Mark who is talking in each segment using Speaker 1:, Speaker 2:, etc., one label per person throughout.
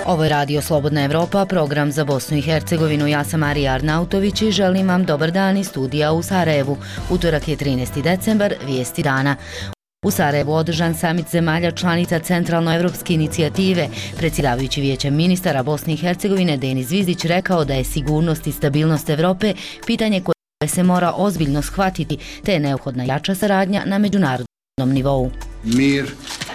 Speaker 1: Ovo je Radio Slobodna Evropa, program za Bosnu i Hercegovinu. Ja sam Marija Arnautović i želim vam dobar dan iz studija u Sarajevu. Utorak je 13. decembar, vijesti dana. U Sarajevu održan samit zemalja članica Centralnoevropske inicijative. Predsjedavajući Vijećem ministara Bosne i Hercegovine Denis Zvizdić rekao da je sigurnost i stabilnost Evrope pitanje koje se mora ozbiljno shvatiti, te je neophodna jača saradnja na međunarodnom nivou.
Speaker 2: Mir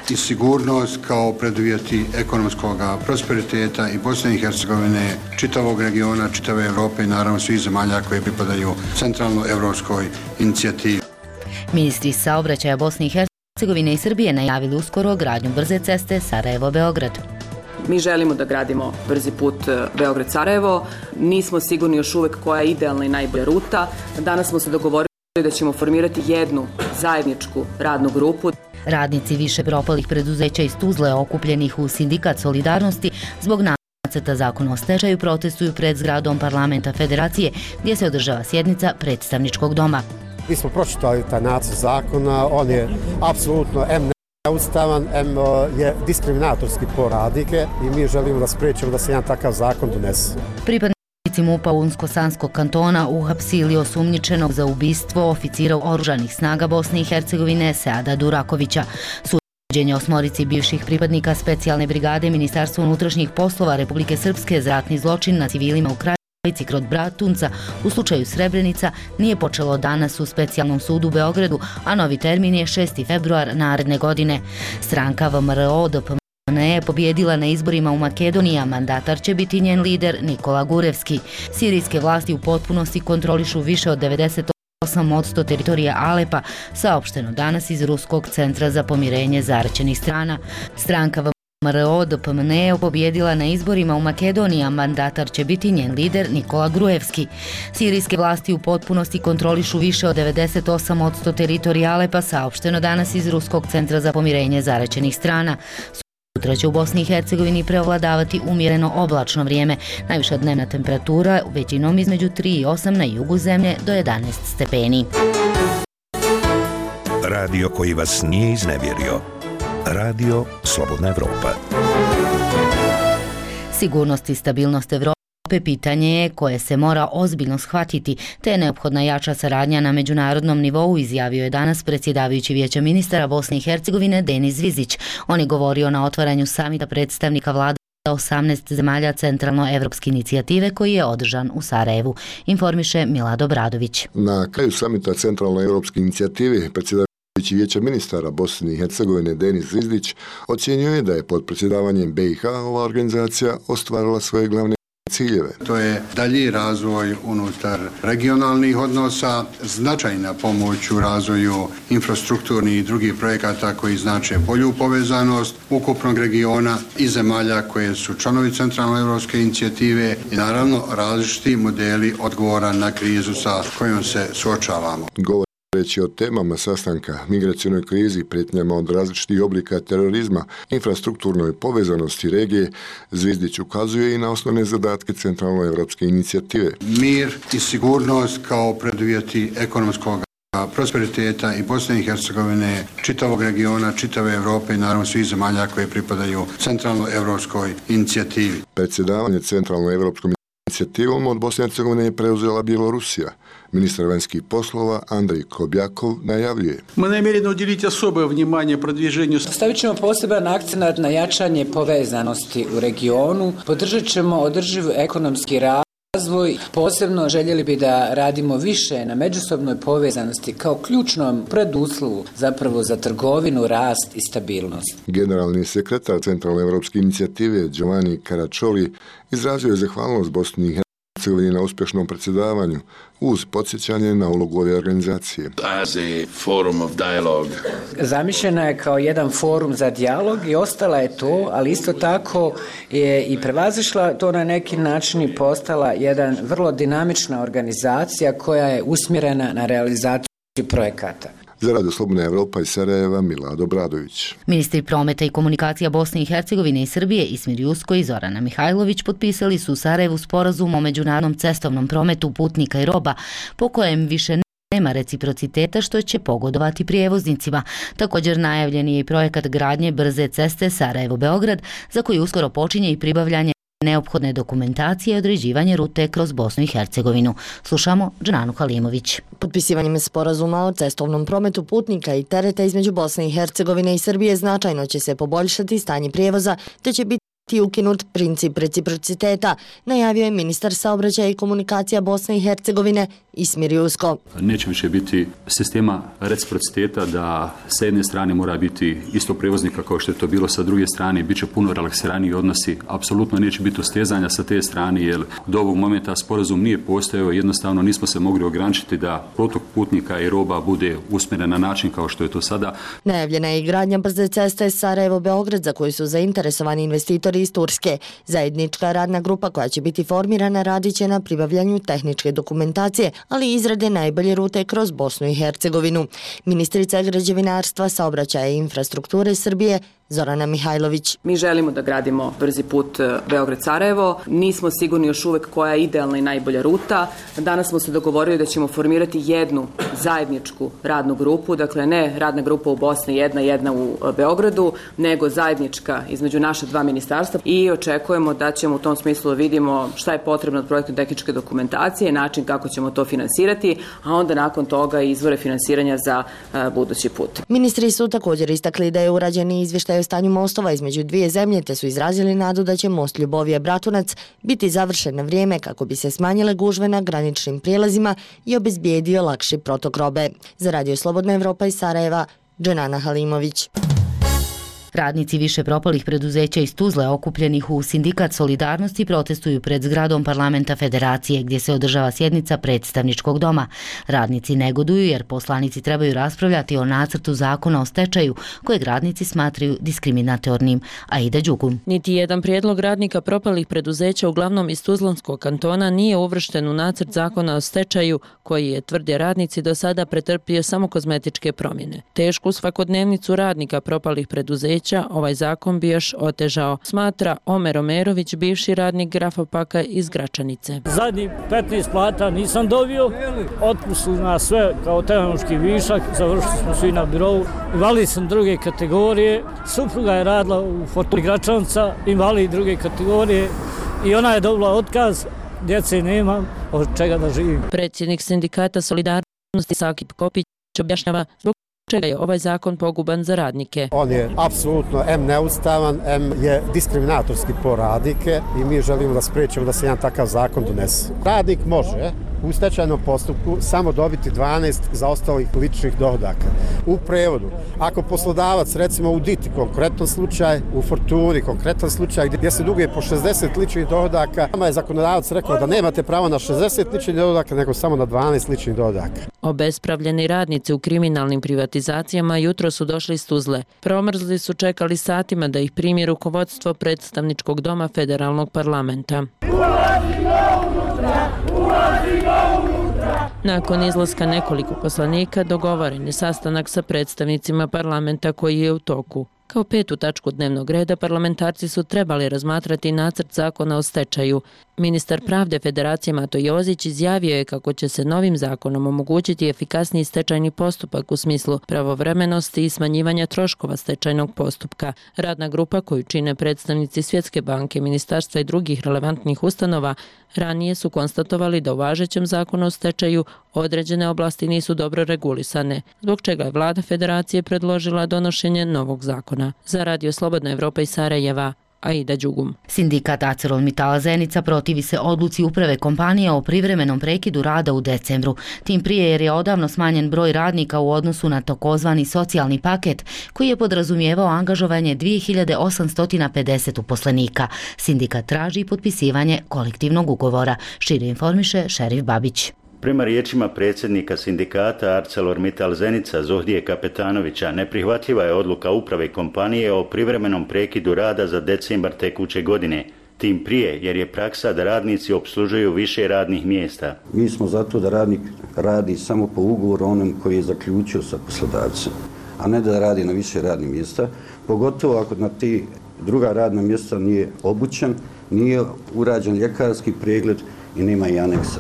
Speaker 2: i sigurnost kao preduvjeti ekonomskog prosperiteta i Bosne i Hercegovine, čitavog regiona, čitave Evrope i naravno svih zemalja koje pripadaju Centralnoevropskoj inicijativi.
Speaker 1: Ministri saobraćaja Bosne i Hercegovine i Srbije najavili uskoro gradnju brze ceste Sarajevo-Beograd.
Speaker 3: Mi želimo da gradimo brzi put Beograd-Sarajevo. Nismo sigurni još uvek koja je idealna i najbolja ruta. Danas smo se dogovorili da ćemo formirati jednu zajedničku radnu grupu.
Speaker 1: Radnici više propalih preduzeća iz Tuzle okupljenih u Sindikat Solidarnosti zbog nacrta zakona o stečaju protestuju pred zgradom Parlamenta Federacije gdje se održava sjednica predstavničkog doma.
Speaker 4: Mi smo pročitali taj nacrt zakona, on je apsolutno neustavan, je diskriminatorski po radnike i mi želimo da spriječimo da se jedan takav zakon donese.
Speaker 1: Pripadnici MUP-a Unsko-Sanskog kantona uhapsili osumnjičenog za ubistvo oficira oružanih snaga Bosne i Hercegovine Seada Durakovića. Suđenje osmorici bivših pripadnika specijalne brigade Ministarstva unutrašnjih poslova Republike Srpske za ratni zločin na civilima u Krajici kod Bratunca u slučaju Srebrenica nije počelo danas u specijalnom sudu u Beogradu, a novi termin je 6. februar naredne godine. Stranka VMRO-DPMNE je pobjedila na izborima u Makedoniji, a mandatar će biti njen lider Nikola Gurevski. Sirijske vlasti u potpunosti kontrolišu više od 98% teritorija Alepa, saopšteno danas iz Ruskog centra za pomirenje zaraćenih strana. Stranka VMRO-DPMNE je pobjedila na izborima u Makedoniji, a mandatar će biti njen lider Nikola Grujevski. Sirijske vlasti u potpunosti kontrolišu više od 98% teritorija Alepa, saopšteno danas iz Ruskog centra za pomirenje zaraćenih strana. Sutra će u Bosni i Hercegovini prevladavati umjereno oblačno vrijeme. Najviša dnevna temperatura većinom između 3 i 8 na jugu zemlje do 11 stepeni.
Speaker 5: Radio koji vas nije iznevjerio. Radio Slobodna Evropa.
Speaker 1: Sigurnost i stabilnost Evrope pitanje je koje se mora ozbiljno shvatiti, te je neophodna jača saradnja na međunarodnom nivou, izjavio je danas predsjedavajući Vijeća ministara Bosne i Hercegovine Denis Zvizdić. On je govorio na otvaranju samita predstavnika vlada 18 zemalja Centralnoevropske inicijative koji je održan u Sarajevu, informiše Milad Obradović.
Speaker 6: Na kraju samita Centralnoevropske inicijative predsjedavajući Vijeća ministara Bosne i Hercegovine Denis Zvizdić ocjenjuje je da je pod predsjedavanjem BiH ova organizacija ostvarila svoje glavne ciljeve.
Speaker 2: To je dalji razvoj unutar regionalnih odnosa, značajna pomoć u razvoju infrastrukturnih i drugih projekata koji znače bolju povezanost ukupnog regiona i zemalja koje su članovi Centralnoevropske inicijative i naravno različiti modeli odgovora na krizu sa kojom se suočavamo.
Speaker 6: Reći o temama sastanka, migracionoj krizi, prijetnjama od različitih oblika terorizma, infrastrukturnoj povezanosti regije, Zvizdić ukazuje i na osnovne zadatke Centralnoevropske inicijative.
Speaker 2: Mir i sigurnost kao preduvjeti ekonomskog prosperiteta i Bosne i Hercegovine, čitavog regiona, čitave Evrope i naravno svih zemalja koje pripadaju Centralnoevropskoj inicijativi.
Speaker 6: Predsjedavanje Centralnoevropskom inicijativom od Bosne i Hercegovine je preuzela Bjelorusija. Ministar vanjskih poslova Andrej Kobjakov najavljuje.
Speaker 7: Mi namjereni udeliti особое внимание продвижению.
Speaker 8: Stavit ćemo poseban akcenat na jačanje povezanosti u regionu, podržat ćemo održiv ekonomski razvoj. Posebno željeli bi da radimo više na međusobnoj povezanosti kao ključnom preduslovu zapravo za trgovinu, rast i stabilnost.
Speaker 6: Generalni sekretar Centralnoevropske inicijative Giovanni Caraccioli izrazio je zahvalnost Bosni i Hercegovini na uspješnom predsjedavanju uz podsjećanje na ulogu ove organizacije.
Speaker 9: As a forum of dialogue.
Speaker 8: Zamišljena je kao jedan forum za dijalog i ostala je to, ali isto tako je i prevazišla to na neki način i postala jedan vrlo dinamična organizacija koja je usmjerena na realizaciju projekata.
Speaker 6: Za Radio Slobodna Evropa iz Sarajeva, Milad Obradović.
Speaker 1: Ministri prometa i komunikacija Bosne i Hercegovine i Srbije Ismir Jusko i Zorana Mihajlović potpisali su u Sarajevu sporazum o međunarodnom cestovnom prometu putnika i roba, po kojem više nema reciprociteta što će pogodovati prijevoznicima. Također najavljen je i projekat gradnje brze ceste Sarajevo-Beograd, za koji uskoro počinje i pribavljanje neophodne dokumentacije i određivanje rute kroz Bosnu i Hercegovinu. Slušamo Džananu Halimović.
Speaker 10: Potpisivanjem sporazuma o cestovnom prometu putnika i tereta između Bosne i Hercegovine i Srbije značajno će se poboljšati stanje prijevoza, te će biti ukinut princip reciprociteta, najavio je ministar saobraćaja i komunikacija Bosne i Hercegovine Ismir Jusko.
Speaker 11: Neće više biti sistema reciprociteta da sa jedne strane mora biti isto prevoznika kao što je to bilo sa druge strane, bit će puno relaksiraniji odnosi, apsolutno neće biti ustezanja sa te strane jer do ovog momenta sporazum nije postojao, jednostavno nismo se mogli ograničiti da protok putnika i roba bude usmjeren na način kao što je to sada.
Speaker 10: Najavljena je i gradnja brze ceste Sarajevo-Beograd za koju su zainteresovani investitori iz Turske. Zajednička radna grupa koja će biti formirana radit će na pribavljanju tehničke dokumentacije, ali i izrade najbolje rute kroz Bosnu i Hercegovinu. Ministrica građevinarstva, saobraćaja i infrastrukture Srbije Zorana Mihajlović.
Speaker 3: Mi želimo da gradimo brzi put Beograd-Sarajevo. Nismo sigurni još uvek koja je idealna i najbolja ruta. Danas smo se dogovorili da ćemo formirati jednu zajedničku radnu grupu, dakle ne radna grupa u Bosni jedna u Beogradu, nego zajednička između naše dva ministarstva i očekujemo da ćemo u tom smislu vidimo šta je potrebno od projektne tehničke dokumentacije, način kako ćemo to finansirati, a onda nakon toga izvore finansiranja za budući put.
Speaker 10: Ministri su također istakli da je urađen izvještaj o stanju mostova između dvije zemlje, te su izrazili nadu da će most Ljubovija-Bratunac biti završen na vrijeme kako bi se smanjile gužve na graničnim prijelazima i obezbijedio lakši protok robe. Za Radio Slobodna Evropa iz Sarajeva, Džanana Halimović.
Speaker 1: Radnici više propalih preduzeća iz Tuzle okupljenih u Sindikat Solidarnosti protestuju pred zgradom Parlamenta Federacije gdje se održava sjednica predstavničkog doma. Radnici negoduju jer poslanici trebaju raspravljati o nacrtu zakona o stečaju kojeg radnici smatraju diskriminatornim. Aida Đugum.
Speaker 12: Niti jedan prijedlog radnika propalih preduzeća uglavnom iz Tuzlanskog kantona nije uvršten u nacrt zakona o stečaju koji je, tvrde radnici, do sada pretrpio samo kozmetičke promjene. Tešku svakodnevnicu radnika propalih preduzeća ovaj zakon bi još otežao, smatra Omer Omerović, bivši radnik Grafopaka iz Gračanice.
Speaker 13: Zadnji 15 plata nisam dobio, otpustili nas sve kao tehnološki višak, završili smo svi na birovu. Invalid sam druge kategorije, supruga je radila u Fortuni Gračanca, invalid druge kategorije i ona je dobila otkaz, djece nema, od čega da živim.
Speaker 12: Predsjednik Sindikata Solidarnosti Sakip Kopić objašnjava zbog čega je ovaj zakon poguban za radnike.
Speaker 4: On je apsolutno neustavan, je diskriminatorski po radnike i mi želimo da spriječimo da se jedan takav zakon donese. Radnik može u stečajnom postupku samo dobiti 12 zaostalih ličnih dohodaka. U prevodu, ako poslodavac, recimo u Diti, konkretan slučaj, u Fortuni, konkretan slučaj, gdje se duguje po 60 ličnih dohodaka, nama je zakonodavac rekao da nemate pravo na 60 ličnih dohodaka, nego samo na 12 ličnih dohodaka.
Speaker 12: Obespravljeni radnici u kriminalnim privatizacijama jutro su došli iz Tuzle. Promrzli su čekali satima da ih primi rukovodstvo predstavničkog doma federalnog parlamenta. Nakon izlaska nekoliko poslanika dogovoren je sastanak sa predstavnicima parlamenta koji je u toku. Kao petu tačku dnevnog reda parlamentarci su trebali razmatrati nacrt zakona o stečaju. Ministar pravde Federacije Mato Jozić izjavio je kako će se novim zakonom omogućiti efikasniji stečajni postupak u smislu pravovremenosti i smanjivanja troškova stečajnog postupka. Radna grupa koju čine predstavnici Svjetske banke, ministarstva i drugih relevantnih ustanova ranije su konstatovali da u važećem zakonu o stečaju određene oblasti nisu dobro regulisane, zbog čega je vlada Federacije predložila donošenje novog zakona. Za Radio Slobodna Evropa iz Sarajeva, Aida Đugum.
Speaker 1: Sindikat ArcelorMittala Zenica protivi se odluci uprave kompanije o privremenom prekidu rada u decembru. Tim prije jer je odavno smanjen broj radnika u odnosu na takozvani socijalni paket koji je podrazumijevao angažovanje 2850 uposlenika. Sindikat traži potpisivanje kolektivnog ugovora. Šire informiše Šerif Babić.
Speaker 14: Prema riječima predsjednika sindikata ArcelorMittal Zenica Zohdije Kapetanovića, neprihvatljiva je odluka uprave kompanije o privremenom prekidu rada za decembar tekuće godine. Tim prije jer je praksa da radnici opslužuju više radnih mjesta.
Speaker 15: Mi smo zato da radnik radi samo po ugovoru onom koji je zaključio sa poslodavcem, a ne da radi na više radnih mjesta, pogotovo ako na ti druga radna mjesta nije obučen, nije urađen ljekarski pregled i nema i aneksa.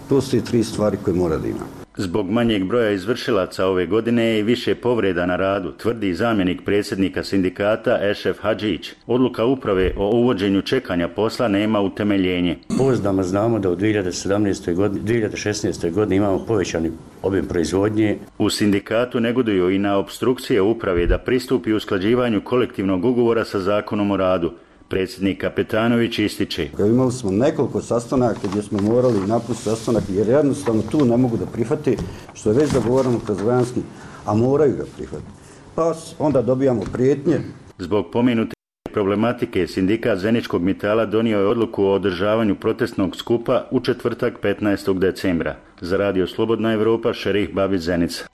Speaker 15: To su i 3 stvari koje mora da ima.
Speaker 14: Zbog manjeg broja izvršilaca ove godine i više povreda na radu, tvrdi zamjenik predsjednika sindikata Ešef Hadžić. Odluka uprave o uvođenju čekanja posla nema utemeljenje.
Speaker 16: Pouzdano znamo da u 2016. godini imamo povećani obim proizvodnje.
Speaker 14: U sindikatu negoduju i na opstrukcije uprave da pristupi usklađivanju kolektivnog ugovora sa zakonom o radu. Predsjednik Kapetanović ističe.
Speaker 15: Imali smo nekoliko sastanaka gdje smo morali napustiti sastanak jer jednostavno tu ne mogu da prihvati što je već dogovoreno kroz vanjski, a moraju ga prihvatiti. Pa onda dobijamo prijetnje.
Speaker 14: Zbog pomenute problematike sindikat Zeničkog metala donio je odluku o održavanju protestnog skupa u četvrtak 15. decembra. Za Radio Slobodna Evropa, Šerih Babić, Zenica.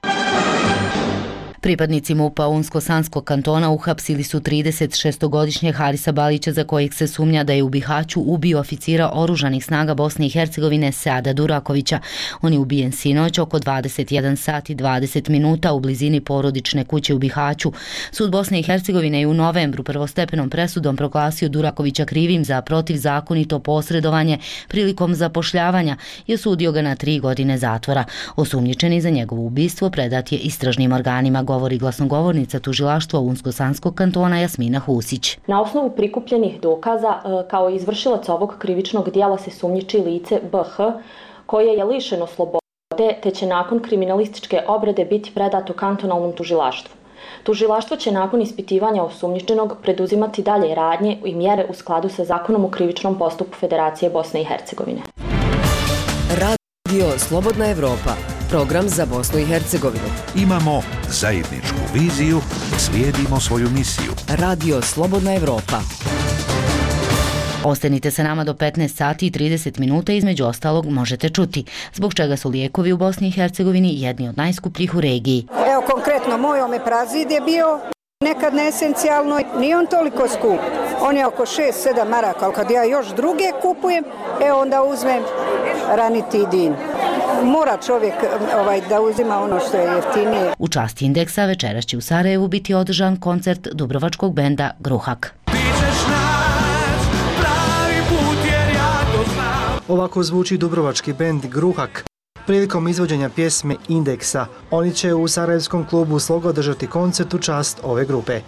Speaker 1: Pripadnici MUP-a Unsko-Sanskog kantona uhapsili su 36-godišnjeg Harisa Balića za kojeg se sumnja da je u Bihaću ubio oficira oružanih snaga Bosne i Hercegovine Seada Durakovića. On je ubijen sinoć oko 21 sat i 20 minuta u blizini porodične kuće u Bihaću. Sud Bosne i Hercegovine je u novembru prvostepenom presudom proglasio Durakovića krivim za protivzakonito posredovanje prilikom zapošljavanja i osudio ga na 3 godine zatvora. Osumnjičeni za njegovo ubistvo predat je istražnim organima, govori glasnogovornica tužilaštva Unsko-Sanskog kantona Jasmina Husić.
Speaker 17: Na osnovu prikupljenih dokaza kao izvršilac ovog krivičnog dijela se sumnjiči lice BH koje je lišeno slobode te će nakon kriminalističke obrade biti predato kantonalnom tužilaštvu. Tužilaštvo će nakon ispitivanja osumnjičenog preduzimati dalje radnje i mjere u skladu sa zakonom o krivičnom postupku Federacije Bosne i Hercegovine.
Speaker 18: Radio Slobodna Evropa. Program za Bosnu i Hercegovinu.
Speaker 5: Imamo zajedničku viziju, slijedimo svoju misiju.
Speaker 18: Radio Slobodna Evropa.
Speaker 1: Ostanite sa nama do 15 sati i 30 minuta, između ostalog možete čuti zbog čega su lijekovi u Bosni i Hercegovini jedni od najskupljih u regiji.
Speaker 19: Evo konkretno, moj omeprazid je bio nekad neesencijalno, nije on toliko skup. On je oko 6-7 maraka, ali kad ja još druge kupujem, onda uzmem ranitidin. Mora čovjek da uzima ono što je jeftinije.
Speaker 1: U čast indeksa večeras će u Sarajevu biti održan koncert dubrovačkog benda Gruhak.
Speaker 20: Ovako zvuči dubrovački bend Gruhak prilikom izvođenja pjesme Indeksa. Oni će u sarajevskom klubu Sloga održati koncert u čast ove grupe.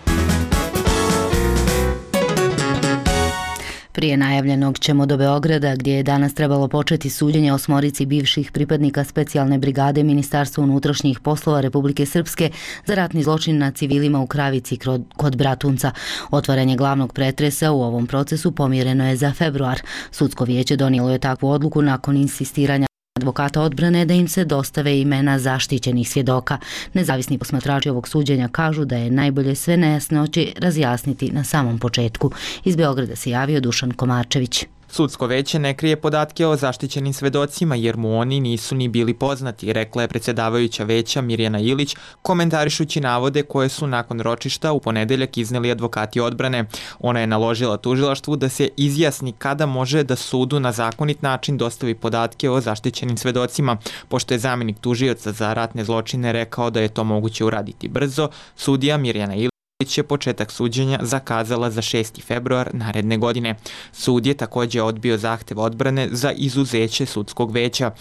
Speaker 1: Prije najavljenog ćemo do Beograda, gdje je danas trebalo početi suđenje 8 bivših pripadnika specijalne brigade Ministarstva unutrašnjih poslova Republike Srpske za ratni zločin na civilima u Kravici kod Bratunca. Otvaranje glavnog pretresa u ovom procesu pomjereno je za februar. Sudsko vijeće donijelo je takvu odluku nakon insistiranja advokata odbrane da im se dostave imena zaštićenih svjedoka. Nezavisni posmatrači ovog suđenja kažu da je najbolje sve nejasnoće razjasniti na samom početku. Iz Beograda se javio Dušan Komarčević.
Speaker 21: Sudsko veće ne krije podatke o zaštićenim svedocima jer mu oni nisu ni bili poznati, rekla je predsjedavajuća veća Mirjana Ilić, komentarišući navode koje su nakon ročišta u ponedeljak izneli advokati odbrane. Ona je naložila tužilaštvu da se izjasni kada može da sudu na zakonit način dostavi podatke o zaštićenim svedocima. Pošto je zamjenik tužioca za ratne zločine rekao da je to moguće uraditi brzo, sudija Mirjana Ilić je početak suđenja zakazala za 6. februar naredne godine. Sud je također odbio zahtev odbrane za izuzeće sudskog veća.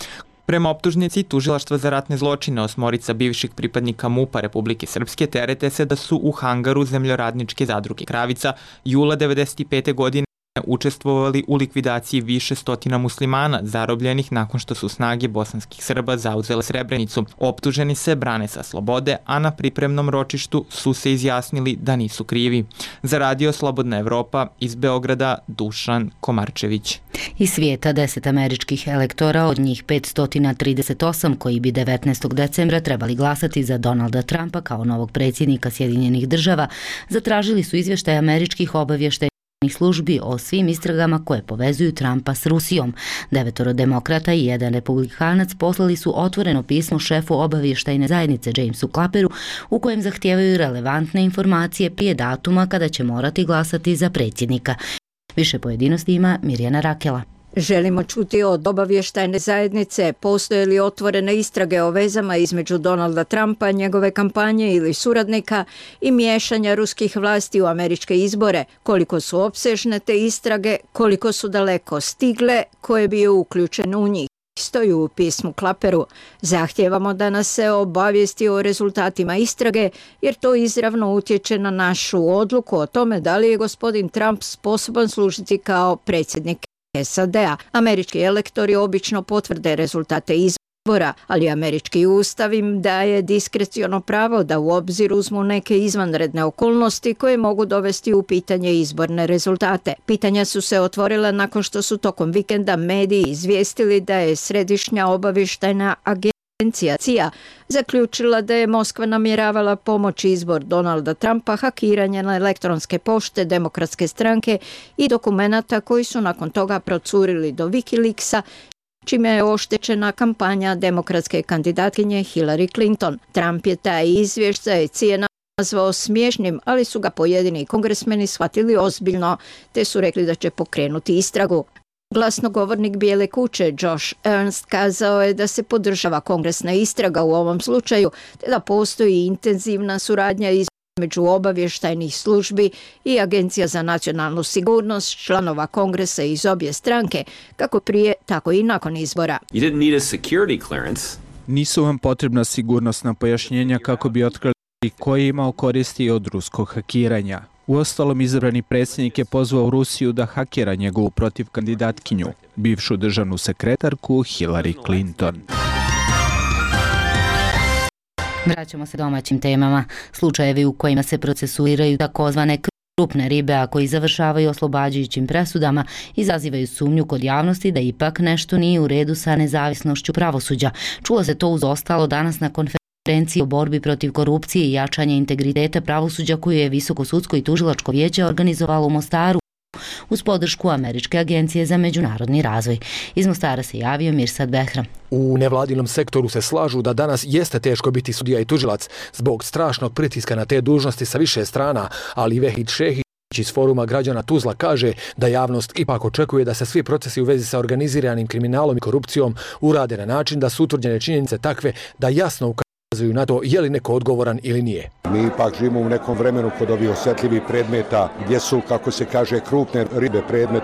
Speaker 21: Prema optužnici tužilaštva za ratne zločine 8 bivših pripadnika MUP-a Republike Srpske terete se da su u hangaru Zemljoradničke zadruge Kravica jula 1995. godine učestvovali u likvidaciji više stotina muslimana zarobljenih nakon što su snage bosanskih Srba zauzele Srebrenicu. Optuženi se brane sa slobode, a na pripremnom ročištu su se izjasnili da nisu krivi. Za Radio Slobodna Evropa iz Beograda Dušan Komarčević.
Speaker 1: Iz svijeta 10 američkih elektora, od njih 538 koji bi 19. decembra trebali glasati za Donalda Trumpa kao novog predsjednika Sjedinjenih država, zatražili su izvještaj američkih obavještajnih službi o svim istragama koje povezuju Trumpa s Rusijom. 9 demokrata i 1 republikanac poslali su otvoreno pismo šefu obavještajne zajednice Jamesu Clapperu u kojem zahtijevaju relevantne informacije prije datuma kada će morati glasati za predsjednika. Više pojedinosti ima Mirjana Rakela.
Speaker 22: Želimo čuti od obavještajne zajednice postoje li otvorene istrage o vezama između Donalda Trumpa, njegove kampanje ili suradnika i miješanja ruskih vlasti u američke izbore, koliko su opsežne te istrage, koliko su daleko stigle, koje bio uključen u njih. stoji u pismu Klaperu. Zahtijevamo da nas se obavijesti o rezultatima istrage, jer to izravno utječe na našu odluku o tome da li je gospodin Trump sposoban služiti kao predsjednik SAD-a. Američki elektori obično potvrde rezultate izbora, ali američki ustav im daje diskreciono pravo da u obzir uzmu neke izvanredne okolnosti koje mogu dovesti u pitanje izborne rezultate. Pitanja su se otvorila nakon što su tokom vikenda mediji izvijestili da je Središnja obavještajna agencija CIA zaključila da je Moskva namjeravala pomoći izbor Donalda Trumpa hakiranje na elektronske pošte Demokratske stranke i dokumenata koji su nakon toga procurili do Wikileaksa, čime je oštećena kampanja demokratske kandidatkinje Hillary Clinton. Trump je taj izvještaj CIA nazvao smiješnim, ali su ga pojedini kongresmeni shvatili ozbiljno, te su rekli da će pokrenuti istragu. Glasnogovornik Bijele kuće Josh Ernst kazao je da se podržava kongresna istraga u ovom slučaju, te da postoji intenzivna suradnja između obavještajnih službi i Agencija za nacionalnu sigurnost, članova kongresa iz obje stranke, kako prije, tako i nakon izbora.
Speaker 2: Nisu vam potrebna sigurnosna pojašnjenja kako bi otkrili ko je imao koristi od ruskog hakiranja. Uostalom, izabrani predsjednik je pozvao Rusiju da hakira njegovu protiv kandidatkinju, bivšu državnu sekretarku Hillary Clinton.
Speaker 1: Vraćamo se domaćim temama. Slučajevi u kojima se procesuiraju takozvane krupne ribe, a koji završavaju oslobađajućim presudama, izazivaju sumnju kod javnosti da ipak nešto nije u redu sa nezavisnošću pravosuđa. Čulo se to uz ostalo danas na konferenciji o borbi protiv korupcije i jačanje integriteta pravosuđa koju je Visoko sudsko i tužilačko vijeće organizovalo u Mostaru uz podršku Američke agencije za međunarodni razvoj. Iz Mostara se javio Mirsad Behram.
Speaker 7: U nevladinom sektoru se slažu da danas jeste teško biti sudija i tužilac zbog strašnog pritiska na te dužnosti sa više strana, ali Vehid Šehić iz foruma građana Tuzla kaže da javnost ipak očekuje da se svi procesi u vezi sa organiziranim kriminalom i korupcijom urade na način da su utvrđene činjenice takve da jasno ukazuju na to je li neko odgovoran ili nije.
Speaker 23: Mi ipak živimo u nekom vremenu kod ovih osjetljivih predmeta gdje su, kako se kaže, krupne ribe predmet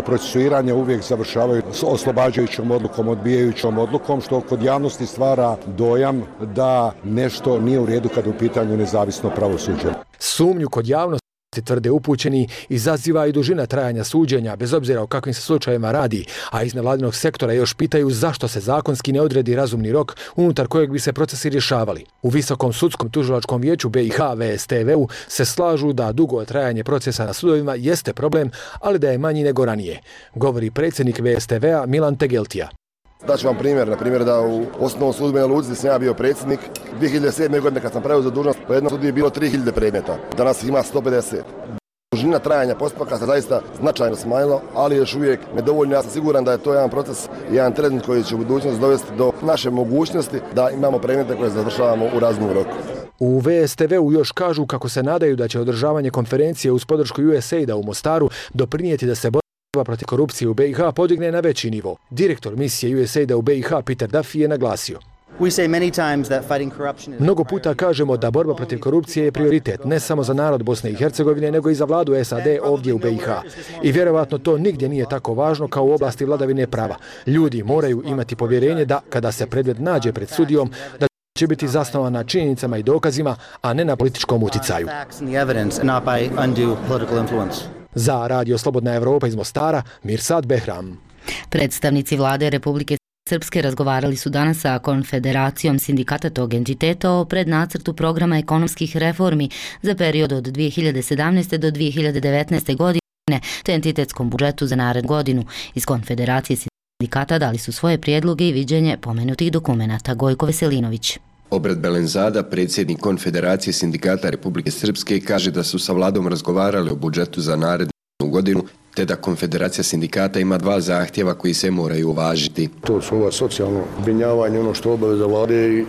Speaker 23: procesuiranja uvijek završavaju s oslobađajućom odlukom, odbijajućom odlukom, što kod javnosti stvara dojam da nešto nije u redu kada je u pitanju nezavisno pravosuđe.
Speaker 7: Sumnju kod javnosti, tvrde upućeni, izaziva i dužina trajanja suđenja, bez obzira o kakvim se slučajevima radi, a iz nevladinog sektora još pitaju zašto se zakonski ne odredi razumni rok unutar kojeg bi se procesi rješavali. U Visokom sudskom tužilačkom vijeću BiH VSTV-u se slažu da dugo trajanje procesa na sudovima jeste problem, ali da je manji nego ranije, govori predsjednik VSTV-a Milan Tegeltija.
Speaker 24: Daću vam primjer, na primjer da u osnovnom sudu Banja Luci sam ja bio predsjednik. 2007. godine kad sam preuzeo dužnost, po jednom sudu je bilo 3000 predmeta, danas ima 150. Dužina trajanja postupaka se zaista značajno smanjila, ali još uvijek nedovoljno. Ja sam siguran da je to jedan proces, jedan trend koji će u budućnosti dovesti do naše mogućnosti da imamo predmete koje završavamo u razumnom roku.
Speaker 7: U VSTV-u još kažu kako se nadaju da će održavanje konferencije uz podršku USAID-a u Mostaru doprinijeti da se borba protiv korupcije u BiH podigne na veći nivo. Direktor misije USAID-a u BiH Peter Duffy je naglasio. Mnogo puta kažemo da borba protiv korupcije je prioritet ne samo za narod Bosne i Hercegovine, nego i za vladu SAD ovdje u BiH. I vjerovatno to nigdje nije tako važno kao u oblasti vladavine prava. Ljudi moraju imati povjerenje da, kada se predmet nađe pred sudijom, da će biti zasnovan na činjenicama i dokazima, a ne na političkom uticaju. Za Radio Slobodna Evropa iz Mostara, Mirsad Behram.
Speaker 1: Predstavnici vlade Republike Srpske razgovarali su danas sa Konfederacijom sindikata tog entiteta o prednacrtu programa ekonomskih reformi za period od 2017. do 2019. godine te entitetskom budžetu za narednu godinu. Iz Konfederacije sindikata dali su svoje prijedloge i viđenje pomenutih dokumenata. Gojko Veselinović.
Speaker 25: Obred Belenzada, predsjednik Konfederacije sindikata Republike Srpske, kaže da su sa vladom razgovarali o budžetu za narednu godinu, te da Konfederacija sindikata ima 2 zahtjeva koji se moraju uvažiti.
Speaker 23: To su ova socijalno zbrinjavanje, ono što obaveza vlade i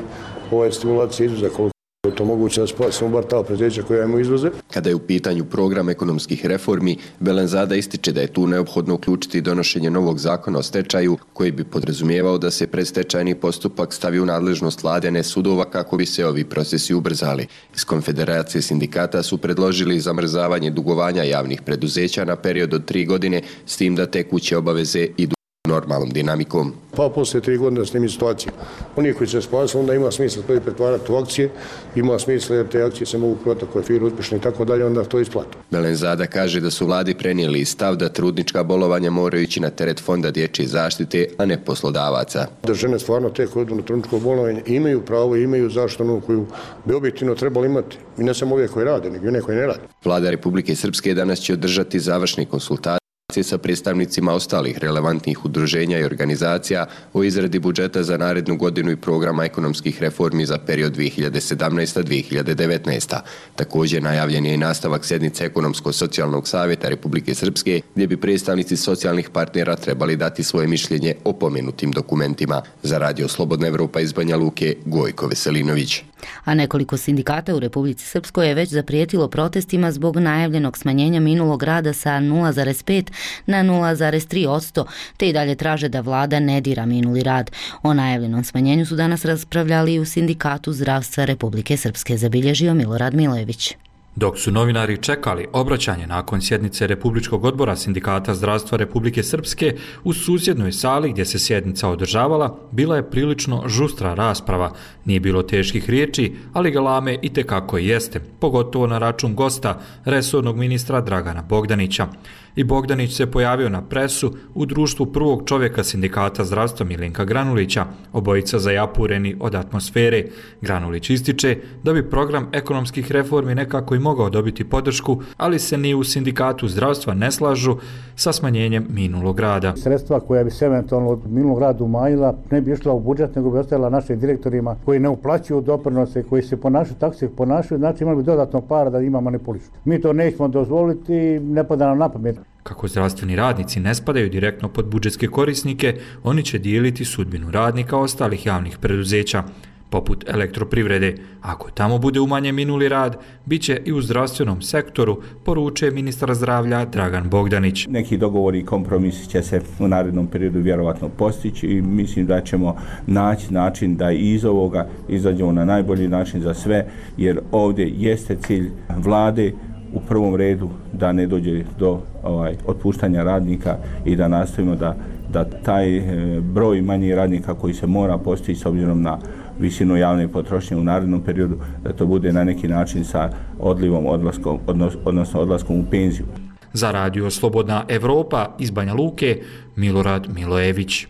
Speaker 23: ova stimulacija izvoza, koliko je to moguće da spasimo bar ta preduzeća koja imaju izvoze.
Speaker 25: Kada je u pitanju program ekonomskih reformi, Belenzada ističe da je tu neophodno uključiti donošenje novog zakona o stečaju koji bi podrazumijevao da se predstečajni postupak stavi u nadležnost vlade, ne sudova, kako bi se ovi procesi ubrzali. Iz Konfederacije sindikata su predložili zamrzavanje dugovanja javnih preduzeća na period od 3 godine, s tim da tekuće obaveze idu normalnom dinamikom.
Speaker 23: Pa poslije 3 godine snimi situaciju. Oni koji se spasili, onda ima smisla to i pretvarati u akcije, ima smisla jer te akcije se mogu prodati ako je firma uspješna i tako dalje, onda to isplatu.
Speaker 25: Belenzada kaže da su vladi prenijeli stav da trudnička bolovanja moraju ići na teret Fonda dječje zaštite, a ne poslodavaca.
Speaker 23: Da žene stvarno te koje idu na trudničko bolovanje imaju pravo, imaju zaštitu koju bi objektivno trebali imati. I ne samo ove koje rade, nego i one koje ne rade.
Speaker 25: Vlada Republike Srpske danas će održati završne konsultacije sa predstavnicima ostalih relevantnih udruženja i organizacija o izradi budžeta za narednu godinu i programa ekonomskih reformi za period 2017-2019. Također najavljen je i nastavak sjednice Ekonomsko-socijalnog savjeta Republike Srpske, gdje bi predstavnici socijalnih partnera trebali dati svoje mišljenje o pomenutim dokumentima. Za Radio Slobodna Evropa iz Banja Luke, Gojko Veselinović.
Speaker 1: A nekoliko sindikata u Republici Srpskoj je već zaprijetilo protestima zbog najavljenog smanjenja minulog rada sa 0,5 na 0,3%, te i dalje traže da vlada ne dira minuli rad. O najavljenom smanjenju su danas raspravljali i u Sindikatu zdravstva Republike Srpske, zabilježio Milorad Milojević.
Speaker 3: Dok su novinari čekali obraćanje nakon sjednice Republičkog odbora Sindikata zdravstva Republike Srpske, u susjednoj sali gdje se sjednica održavala, bila je prilično žustra rasprava. Nije bilo teških riječi, ali galame i tekako jeste, pogotovo na račun gosta, resornog ministra Dragana Bogdanića. I Bogdanić se pojavio na presu u društvu prvog čovjeka Sindikata zdravstva Milenka Granulića, obojica zajapureni od atmosfere. Granulić ističe da bi program ekonomskih reformi nekako i mogao dobiti podršku, ali se ni u Sindikatu zdravstva ne slažu sa smanjenjem minulog rada.
Speaker 6: Sredstva koja bi se eventualno od minulog rada umanjila ne bi išla u budžet, nego bi ostala našim direktorima koji ne uplaćuju doprinose, koji se ponašaju tako se ponašaju, znači imali bi dodatno para da ima manipulišu. Mi to nećemo dozvoliti, ne pada nam na pamet.
Speaker 3: Kako zdravstveni radnici ne spadaju direktno pod budžetske korisnike, oni će dijeliti sudbinu radnika ostalih javnih preduzeća, poput elektroprivrede. Ako tamo bude umanjen minuli rad, bit će i u zdravstvenom sektoru, poručuje ministar zdravlja Dragan Bogdanić.
Speaker 8: Neki dogovori i kompromisi će se u narednom periodu vjerovatno postići i mislim da ćemo naći način da iz ovoga izađemo na najbolji način za sve, jer ovdje jeste cilj vlade u prvom redu da ne dođe do otpuštanja radnika i da nastavimo da taj broj manjih radnika koji se mora postići s obzirom na visinu javne potrošnje u narednom periodu, da to bude na neki način sa odlivom, odlaskom, odnosno odlaskom u penziju.
Speaker 3: Za Radio Slobodna Evropa iz Banja Luke, Milorad Milojević.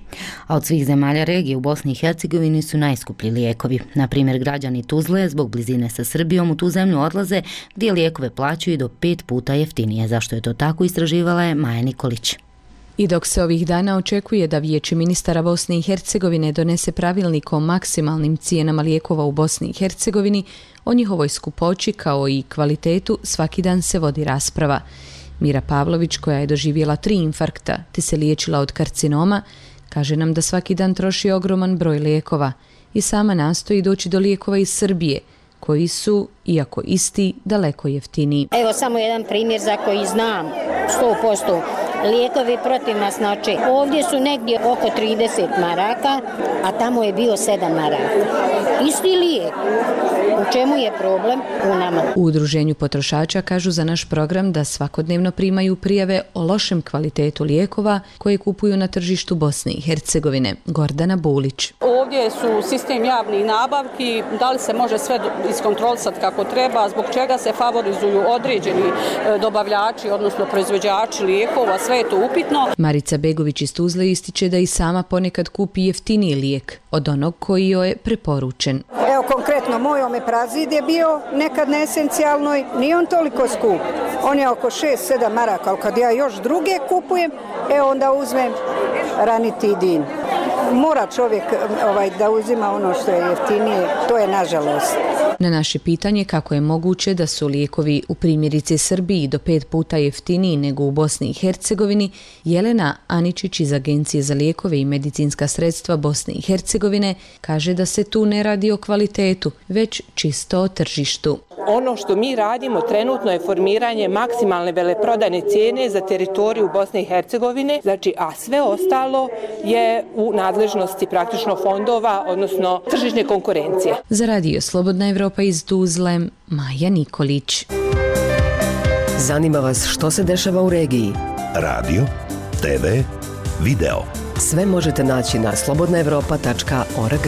Speaker 1: A od svih zemalja regije u Bosni i Hercegovini su najskuplji lijekovi. Na primjer, građani Tuzle zbog blizine sa Srbijom u tu zemlju odlaze gdje lijekove plaćaju do 5 puta jeftinije. Zašto je to tako, istraživala je Maja Nikolić.
Speaker 9: I dok se ovih dana očekuje da Vijeće ministara Bosne i Hercegovine donese pravilnik o maksimalnim cijenama lijekova u Bosni i Hercegovini, o njihovoj skupoći kao i kvalitetu svaki dan se vodi rasprava. Mira Pavlović, koja je doživjela 3 infarkta te se liječila od karcinoma, kaže nam da svaki dan troši ogroman broj lijekova i sama nastoji doći do lijekova iz Srbije, koji su, iako isti, daleko jeftiniji.
Speaker 11: Evo samo jedan primjer za koji znam 100%. Lijekovi protiv masnoće. Ovdje su negdje oko 30 maraka, a tamo je bio 7 maraka. Isti lijek. U čemu je problem? U nama.
Speaker 9: U Udruženju potrošača kažu za naš program da svakodnevno primaju prijave o lošem kvalitetu lijekova koje kupuju na tržištu Bosne i Hercegovine. Gordana Bulić.
Speaker 26: Ovdje su sistem javnih nabavki, da li se može sve iskontrolisati kako treba, zbog čega se favorizuju određeni dobavljači, odnosno proizvođači lijekova, sve je to upitno.
Speaker 9: Marica Begović iz Tuzle ističe da i sama ponekad kupi jeftiniji lijek od onog koji joj je preporučen.
Speaker 19: Evo konkretno, moj omeprazid je bio nekad neesencijalnoj, nije on toliko skup. On je oko 6-7 maraka, ali kad ja još druge kupujem, onda uzmem ranitidin. Mora čovjek da uzima ono što je jeftinije, to je nažalost.
Speaker 9: Na naše pitanje kako je moguće da su lijekovi u primjerici Srbiji do 5 puta jeftiniji nego u Bosni i Hercegovini, Jelena Aničić iz Agencije za lijekove i medicinska sredstva Bosne i Hercegovine kaže da se tu ne radi o kvalitetu, već čisto o tržištu.
Speaker 27: Ono što mi radimo trenutno je formiranje maksimalne veleprodajne cijene za teritoriju Bosne i Hercegovine, a sve ostalo je u nadležnosti praktično fondova, odnosno tržišne konkurencije.
Speaker 9: Za Radio Slobodna Evropa iz Tuzle, Maja Nikolić.
Speaker 18: Zanima vas što se dešava u regiji?
Speaker 5: Radio, TV, video.
Speaker 18: Sve možete naći na slobodnaevropa.org.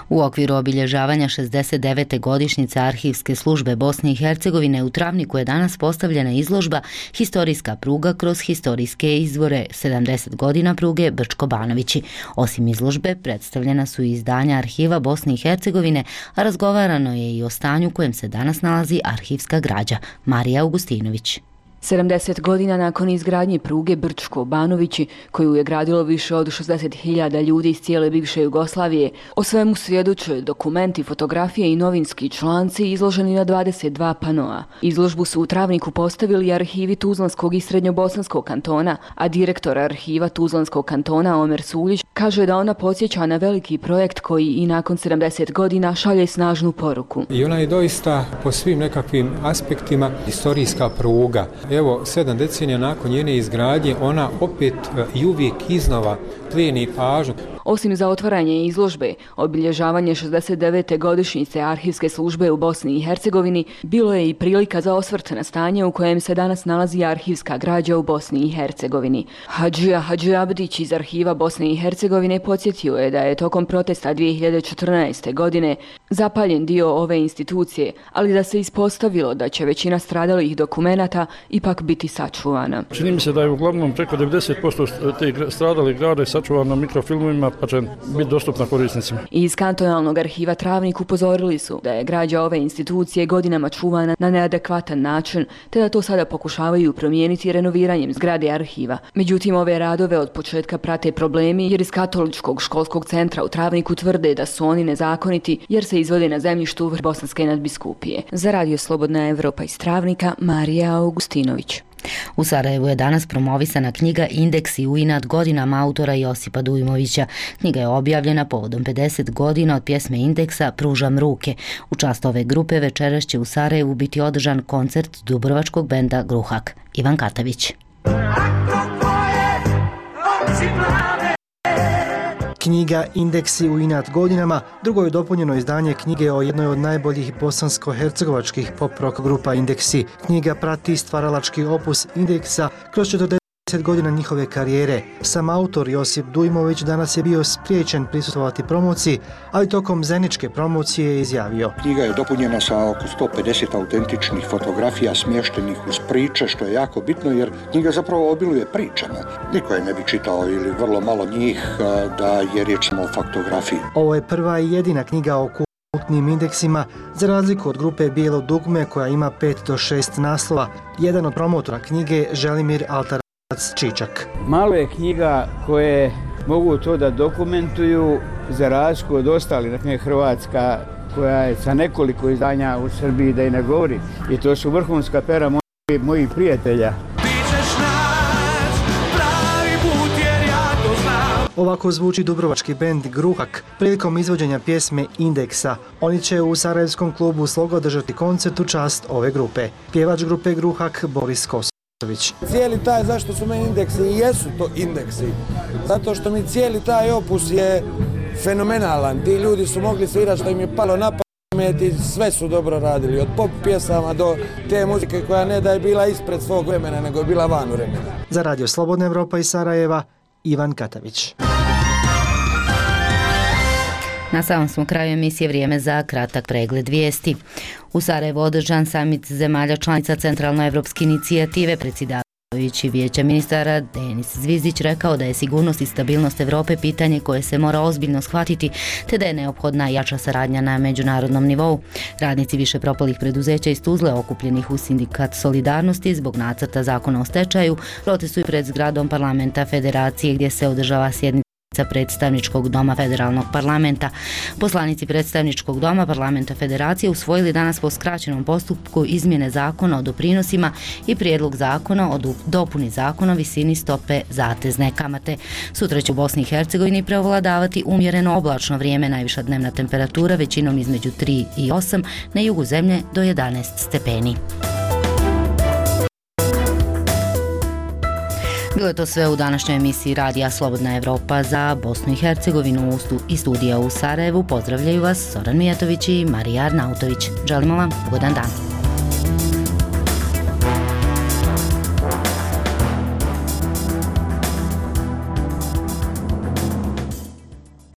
Speaker 1: U okviru obilježavanja 69. godišnjice Arhivske službe Bosne i Hercegovine u Travniku je danas postavljena izložba Historijska pruga kroz historijske izvore 70 godina pruge Brčko-Banovići. Osim izložbe, predstavljena su i izdanja arhiva Bosne i Hercegovine, a razgovarano je i o stanju u kojem se danas nalazi arhivska građa. Marija Augustinović.
Speaker 4: 70 godina nakon izgradnje pruge Brčko-Banovići, koju je gradilo više od 60.000 ljudi iz cijele bivše Jugoslavije, o svemu svjedoče dokumenti, fotografije i novinski članci izloženi na 22 panoa. Izložbu su u Travniku postavili arhivi Tuzlanskog i Srednjobosanskog kantona, a direktor arhiva Tuzlanskog kantona Omer Suljić kaže da ona podsjeća na veliki projekt koji i nakon 70 godina šalje snažnu poruku.
Speaker 10: I ona je doista po svim nekakvim aspektima historijska pruga. Evo, 7 decenija nakon njene izgradnje, ona opet i uvijek iznova plijeni pažnju.
Speaker 4: Osim za otvaranje izložbe, obilježavanje 69. godišnjice Arhivske službe u Bosni i Hercegovini bilo je i prilika za osvrt na stanje u kojem se danas nalazi arhivska građa u Bosni i Hercegovini. Hadži Abdić iz arhiva Bosne i Hercegovine podsjetio je da je tokom protesta 2014. godine zapaljen dio ove institucije, ali da se ispostavilo da će većina stradalih dokumenata ipak biti sačuvana.
Speaker 12: Čini mi se da je uglavnom preko 90% tih stradalih grada sačuvano mikrofilmovima, pa će biti dostupna korisnicima.
Speaker 4: Iz kantonalnog arhiva Travnik upozorili su da je građa ove institucije godinama čuvana na neadekvatan način, te da to sada pokušavaju promijeniti renoviranjem zgrade arhiva. Međutim, ove radove od početka prate problemi jer iz Katoličkog školskog centra u Travniku tvrde da su oni nezakoniti jer se izvode na zemljištu Bosanske nadbiskupije. Za Radio Slobodna Evropa iz Travnika, Marija Augustinović.
Speaker 1: U Sarajevu je danas promovisana knjiga Indeksi u inat godinama autora Josipa Dujmovića. Knjiga je objavljena povodom 50 godina od pjesme Indeksa Pružam ruke. U čast ove grupe večeras će u Sarajevu biti održan koncert dubrovačkog benda Gruhak. Ivan Katavić.
Speaker 20: Knjiga Indeksi u inat godinama drugo je dopunjeno izdanje knjige o jednoj od najboljih bosansko-hercegovačkih pop-rock grupa Indeksi. Knjiga prati stvaralački opus Indeksa kroz 40 godina njihove karijere. Sam autor Josip Dujmović danas je bio spriječen prisustvovati promociji, ali tokom zeničke promocije je izjavio:
Speaker 13: Knjiga je dopunjena sa oko 150 autentičnih fotografija smještenih uz priče, što je jako bitno jer knjiga zapravo obiluje pričama. Niko je ne bi čitao ili vrlo malo njih da je riječ samo o faktografiji.
Speaker 20: Ovo je prva i jedina knjiga o kultnim indeksima, za razliku od grupe Bijelo dugme koja ima 5 do 6 naslova. Jedan od promotora knjige Želimir Altar Čičak.
Speaker 14: Malo je knjiga koje mogu to da dokumentuju za razliku od ostalih, dakle Hrvatska koja je sa nekoliko izdanja u Srbiji, da i ne govori, i to su vrhunska pera mojih prijatelja.
Speaker 20: Ovako zvuči dubrovački bend Gruhak prilikom izvođenja pjesme Indeksa. Oni će u sarajevskom klubu Sloga održati koncert u čast ove grupe. Pjevač grupe Gruhak Boris Kosović.
Speaker 15: Cijeli taj, zašto su meni indeksi i jesu to indeksi, zato što mi cijeli taj opus je fenomenalan. Ti ljudi su mogli svirati što im je palo na pamet i sve su dobro radili, od pop pjesama do te muzike koja ne da je bila ispred svog vremena, nego je bila van vremena.
Speaker 20: Za Radio Slobodna Evropa iz Sarajeva, Ivan Katavić.
Speaker 1: Na samom smo kraju emisije, vrijeme za kratak pregled vijesti. U Sarajevu održan samit zemalja članica Centralnoevropske inicijative. Predsjedavajući Vijeća ministara Denis Zvizdić rekao da je sigurnost i stabilnost Europe pitanje koje se mora ozbiljno shvatiti, te da je neophodna jača saradnja na međunarodnom nivou. Radnici više propalih preduzeća iz Tuzle, okupljenih u sindikat Solidarnosti zbog nacrta zakona o stečaju, protestuju pred zgradom parlamenta Federacije gdje se održava sjednica predstavničkog doma federalnog parlamenta. Poslanici predstavničkog doma parlamenta Federacije usvojili danas po skraćenom postupku izmjene zakona o doprinosima i prijedlog zakona o dopuni zakona o visini stope zatezne kamate. Sutra će u Bosni i Hercegovini prevladavati umjereno oblačno vrijeme, najviša dnevna temperatura većinom između 3 i 8, na jugu zemlje do 11 stepeni. Bilo je to sve u današnjoj emisiji Radija Slobodna Evropa za Bosnu i Hercegovinu i studija u Sarajevu. Pozdravljaju vas Zoran Mijatović i Marija Arnautović. Želimo vam ugodan dan.